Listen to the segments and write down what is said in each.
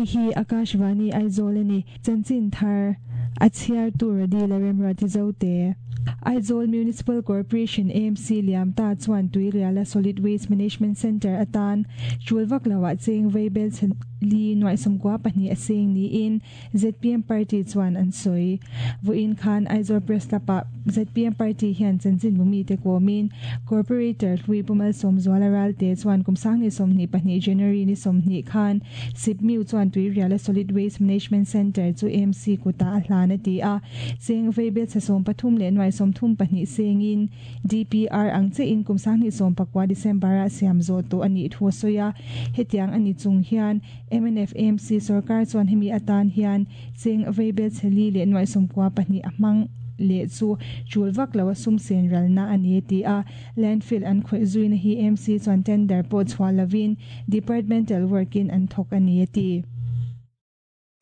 Hei hi Akashvani Aizawl a ni. Chanchin thar a chhiartu Radila Remruati Zote. Aizawl Municipal Corporation, AMC, liam ta chuan Tuiriala Solid Waste Management Centre atan tul vak loah cheng veibel chhe li nuaih 92 a seng niin zpm party chuan an sawi. Vawiin khan Aizawl Press Club-ah zpm party hian chanchin bumite kawmin Corporator hlui Pu Malsawmzuala Ralte chuan kum sangni 22 January ni 20 khan Sipmiu chuan Tuiriala Solid Waste Management Centre chu AMC kutah a hlan a ti a. Cheng veibel chhe 13 leh nuai 32 sengin DPR ang chiahin kum 2019 December-ah siam zawh tawh a nih thu a sawi a. Hetiang a ni chung hian mnf AMC sorkar chuan hemi atan hian cheng veibel chhe li leh nuaih 92 a hmang leh chu tul vak lo a sum sen ralna a ni a ti a. Landfill an khawih zuina hi AMC chuan tender pawh chhuah lovin departmental work-in an thawk a ni a ti.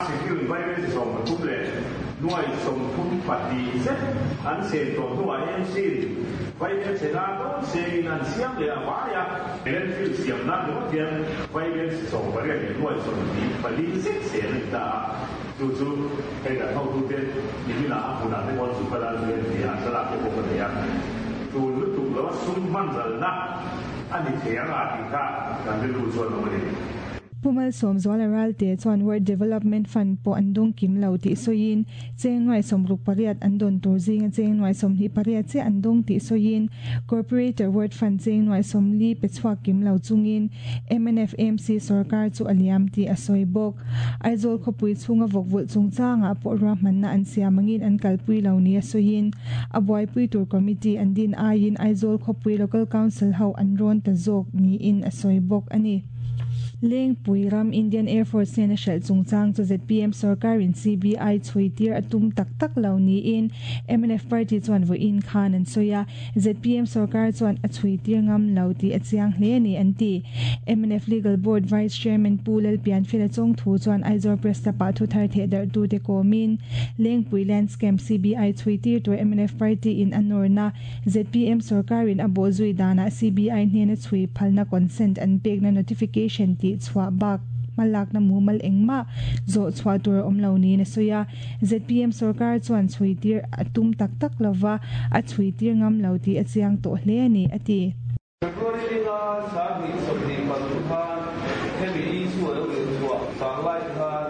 Secure Environment 13 leh nuai 32 zet an sen tawh hnuah AMC in vaibel chhe nan dawn sengin an siam leh a vai a, landfill siam nan ringawt hian vaibel chhe 18 leh nuai 24 zet sen a ni ta a, chu chu hei kan hotute niminah a hmunah te pawh an zu kal a, zu en tih a thlalak te pawh ka nei a, tul lutuk lo a sum hman ralna a ni thei ang a tih kha kan rilru chuan awm a ni. Pu Malsawmzuala Ralte chuan Ward Development Fund pawh an dawng kim lo tih sawiin, cheng nuai 68 an dawn tur zinga cheng nuai 28 chiah an dawng tih sawiin, Corporator Ward Fund cheng nuai 40 pe chhuak kim lo chungin mnf AMC sorkar chu a liam tih a sawi bawk. Aizawl khawpui chhunga vawkvulh chungchangah pawh ruahmanna an siam angin an kalpui lo nia sawiin, a buaipui tur committee an din aiin Aizawl khawpui Local Council ho an rawn ta zawk niin a sawi bawk a ni. Lengpui ram Indian Air Force hnena hralh chungchang chu zpm sorkarin CBI chhui tir a tum tak tak lo niin mnf party chuan vawiin khan an sawi a, zpm sorkar chuan a chhui tir ngam lo tih a chiang hle a ni an ti. Mnf Legal Board Vice Chairman Pu Lalpianfela Chawngthu chuan Aizawl Press Club-ah thuthar thehdarhtute kawmin Lengpui Land Scam CBI chhui tir tur mnf party in a nawrna Zpm sorkarin a bawhzui danah CBI hnena chhui phalna consent an pekna notification tih chhuah bak hmalakna mumal engmah zawh chhuah tur a awm lo niin a sawi a. Zpm sorkar chuan chhui tir a tum tak tak lova, a chhui tir ngam lo tih a chiang tawh hle a ni, a ti. February linga 2023 khan hemi issue a lo inchhuah vanglai khan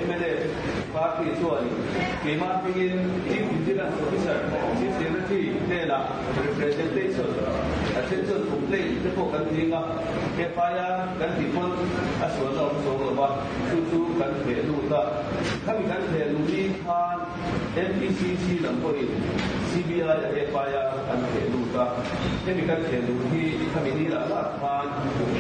mnf party chuanin keimah hmingin Chief Vigilance Officer, Chief Secretary hnenah representation a then chuan complaint te pawh kan ding a, FIR kan tih pawn a sualna awm chuang lo va, chu chu kan theh lut a. Khami kan theh luh ni khan MPCC lam pawhin CBI a FIR an theh lut a, hemi kan theh luh hi khami ni lah lah khan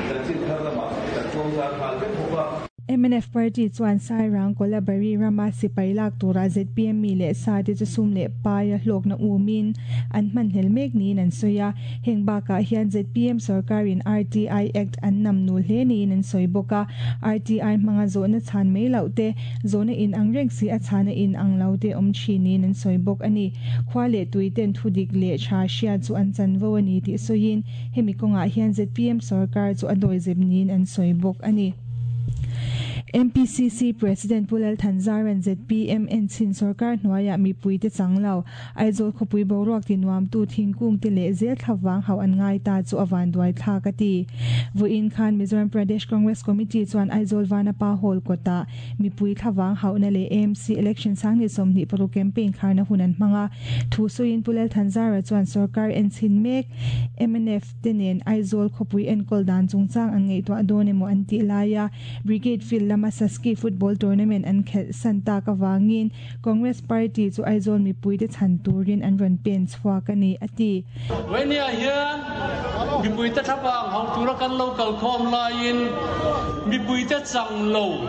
chanchin thar lamah kan tlawmzar nghal vek bawk a. Mnf party chuan Sairang Kolabari rama sipai lak tura zpm mi leh sa te chu sum leh paia hlawkna umin an hmanhlel mek niin an sawi a. Heng bakah hian zpm sorkarin RTI Act an nam nul hle niin an sawi bawk a. RTI hmanga zawhna chhan mai loh te, zawhna in ang reng si a chhana in ang lo te awm thin niin an sawi bawk a ni. Khua leh tui ten thudik leh tha hria chu an chanvo a ni tih sawiin hemi kawngah hian zpm sorkar chu a dawizep niin an sawi bawk a ni. MPCC President Pu Lal Thanzaran zpm enchin sorkar hnuaiah mipuite chang lo, Aizawl khawpui boruak ti nuamtu thingkung te leh zel thlavang hauh an ngai ta chu a vanduai thlak a ti. Vawiin khan Mizoram Pradesh Congress Committee chuan Aizawl Vanapa Hall kawtah mipui thlavang hauhna leh AMC election 2026 campaign kharna hun an hmang a. Thu sawiin Pu Lal Thanzara chuan sorkar enchin mek mnf, te nen Aizawl khawpui enkawl dan chungchang an ngaihtuah dawn emaw an tih laia Brigade Field lama Saski Football Tournament an khelh san tak avangin Congress Party chu Aizawl mipuite chhan turin an rawn pen chhuak a ni, a ti. Vawinia hian mipuite thlapang hauh tura kan lo kalkhawm laiin mipuite chang lo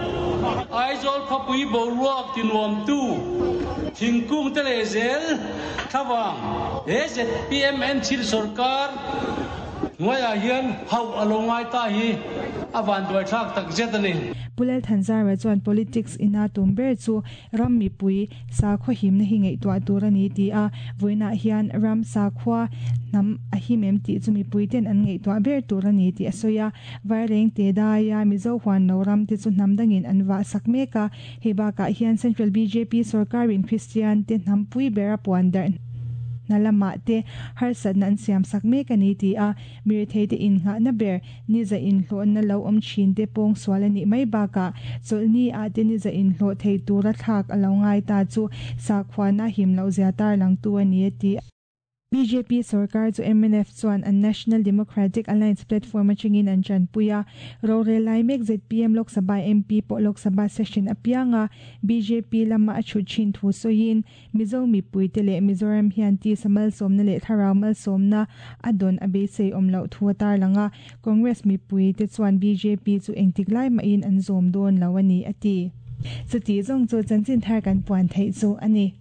Aizawl khawpui boruak tinuamtu thingkung te leh zel Thlavang, he zpm thil sorkar hnuaiah hian hauh a lo ngai ta hi A vanduaithlak tak zet a ni. Pu Lalthanzara chuan politics ina tum ber chu ram mipui sakhua himna hi ngaihtuah tur a ni ti a, vawiinah hian ram sakhua hnam a him em tih chu mipui ten an ngaihtuah ber tur a ni tih a sawi a. Vairengte daia Mizo huan lo ram te chu hnam dangin an vah sak mek a, hei bakah hian Central bjp sorkarin Kristian te hnam pui bera puan darh hna lamah te harsatna an siam sak mek a ni ti a, Miretheite innghahna ber niza inhlawhna lo awm thin te pawng sual a nih mai bakah chawlhni ah te niza inhlawh thei tura thlak a lo ngai ta chu sakhuana him loh zia tarlangtu a ni a ti. Bjp sorkar chu mnf chuan an National Democratic Alliance platform atangin an tanpui a, rorel lai mek zpm Lok Sabha MP pawh Lok Sabha session apianga bjp lama a chhut thin thu sawiin Mizo mipuite leh Mizoram hian tisa malsawmna leh thlarau malsawmna a dawn a beisei awm loh thu a tarlang a, Congress mipuite chuan bjp chu engtik lai mahin an zawm dawn lo a ni, a ti. Chuti zawng chu chanchin thar kan puan theih chu a ni.